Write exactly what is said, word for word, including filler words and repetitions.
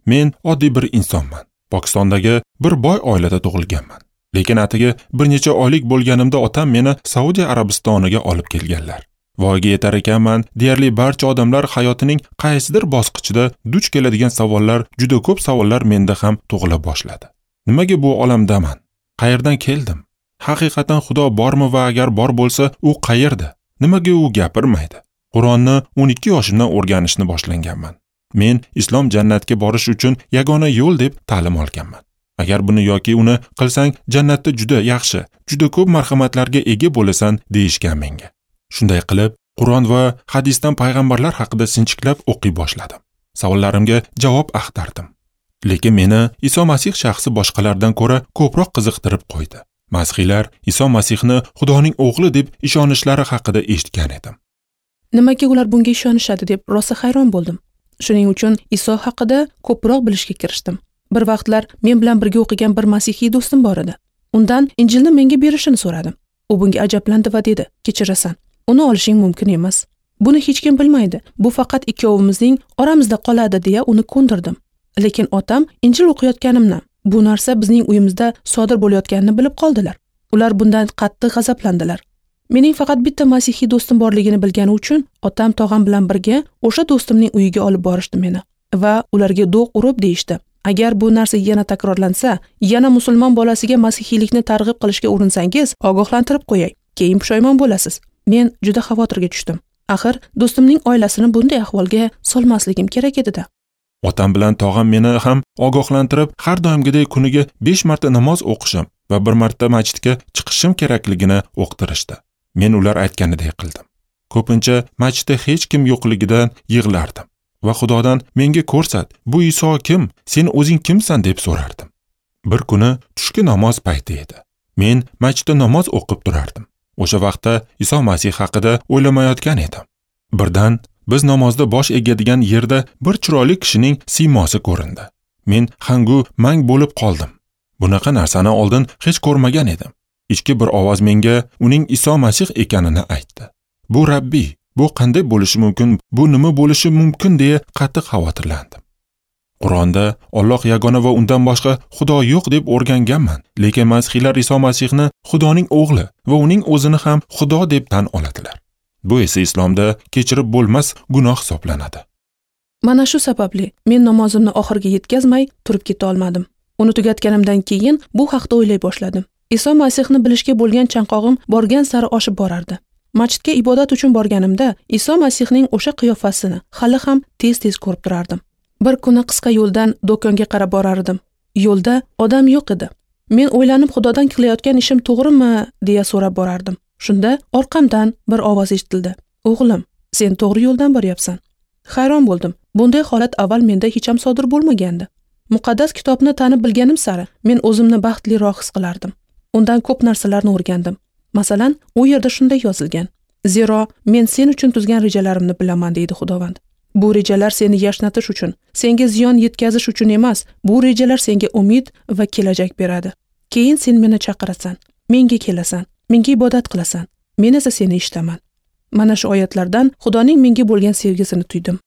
Men oddiy bir insonman. Pokistondagi bir boy oilada tug'ilganman. Lekin atigi bir necha oylik bo'lganimda otam meni Saudiya Arabistoniga olib kelganlar. Voyaga yetar ekanman, deyarli barcha odamlar hayotining qaysidir bosqichida duch keladigan savollar, juda ko'p savollar menda ham tug'ila boshladi. Nimaga bu olamdaman? Qayerdan keldim? Haqiqatan Xudo bormi va agar bor bo'lsa, u qayerda? Nimaga u gapirmaydi? Qur'onni o'n ikki yoshimdan o'rganishni boshlanganman. Men islom jannatga borish uchun yagona yo'l deb ta'lim olganman. Agar buni yoki uni qilsang, jannatda juda yaxshi, juda ko'p marhamatlarga ega bo'lasan deyishgan menga. Shunday qilib, Qur'on va hadisdan payg'ambarlar haqida sinchiklab o'qiy boshladim. Savollarimga javob axtardim. Lekin meni Iso Masih shaxsi boshqalardan ko'ra ko'proq qiziqtirib qo'ydi. Masihiylar Iso Masihni Xudoning o'g'li deb ishonishlari haqida eshitgan edim. Nimaga ular bunga ishonishadi deb rosa hayron bo'ldim. Shuning uchun Iso haqida ko'proq bilishga kirishdim. Bir vaqtlar men bilan birga o'qigan bir masihiy do'stim bor edi. Undan Injilni menga berishini so'radim. U bunga ajablandi va dedi: "Kechirasan, uni olishing mumkin emas. Buni hech kim bilmaydi. Bu faqat ikkovimizning oramizda qoladi" deya uni ko'ndirdim. Lekin otam Injil o'qiyotganimni, bu narsa bizning uyimizda sodir bo'layotganini bilib qoldilar. Ular bundan qattiq g'azablandilar. Mening faqat bitta masihiy do'stim borligini bilgani uchun otam tog'am bilan birga o'sha do'stimning uyiga olib borishdi meni va ularga do'q urib deyishdi: "Agar bu narsa yana takrorlansa, yana musulmon bolasiga masihiylikni targ'ib qilishga urinsangiz, ogohlantirib qo'yay, keyin pushaymon bo'lasiz." Men juda xavotirga tushdim. Axir do'stimning oilasini bunday ahvolga solmasligim kerak edi-da. Otam bilan tog'am meni ham ogohlantirib, har doimgidek kuniga besh marta namoz o'qishim va bir marta masjidga chiqishim kerakligini o'qtirishdi. Men ular aytganidek qildim. Ko'pincha masjidda hech kim yo'qligidan yig'lardim va Xudodan menga ko'rsat, bu Iso kim, sen o'zing kimsan deb so'rardim. Bir kuni tushki namoz payti edi. Men masjidda namoz o'qib turardim. O'sha vaqtda Iso Masih haqida o'ylamayotgan edim. Birdan biz namozda bosh egadigan yerda bir chiroyli kishining siymosi ko'rindi. Men hangu mang bo'lib qoldim. Bunaqa narsani oldin hech ko'rmagan edim. Ichki bir ovoz menga uning Iso Masih ekanini aytdi. Bu Rabbiy, bu qanday bo'lishi mumkin, bu nima bo'lishi mumkin deya qattiq xavotirlandim. Qur'onda Alloh yagona va undan boshqa Xudo yo'q deb o'rganganman, lekin masihiylar Iso Masihni Xudoning o'g'li va uning o'zini ham Xudo deb tan oladilar. Bu esa islomda kechirib bo'lmas gunoh hisoblanadi. Mana shu sababli men namozimni oxiriga yetkazmay turib keta olmadim. Uni tugatganimdan keyin bu haqda o'ylay boshladim. Iso Masihni bilishga bo'lgan chanqog'im borgan sari oshib borardi. Masjidga ibodat uchun borganimda Iso Masihning o'sha qiyofasini hali ham tez-tez ko'rib turardim. Bir kuni qisqa yo'ldan do'konga qarab borardim. Yo'lda odam yo'q edi. Men o'ylanib Xudodan qilayotgan ishim to'g'rimi deya so'rab borardim. Shunda orqamdan bir ovoz eshitildi. "O'g'lim, sen to'g'ri yo'ldan boryapsan." Hayron bo'ldim. Bunday holat avval menda hech ham sodir bo'lmagandi. Muqaddas kitobni tanib bilganim sari men o'zimni baxtliroq his qilardim. Undan ko'p narsalarni o'rgandim. Masalan, u yerda shunday yozilgan: "Zero men sen uchun tuzgan rejalarimni bilaman", deydi Xudovand. Bu rejalar seni yashnatish uchun, senga ziyon yetkazish uchun emas, bu rejalar senga umid va kelajak beradi. Keyin sen meni chaqirasan, menga kelasan, menga ibodat qilasan, men esa seni eshitaman. Mana shu oyatlardan Xudoning menga bo'lgan sevgisini tuydim.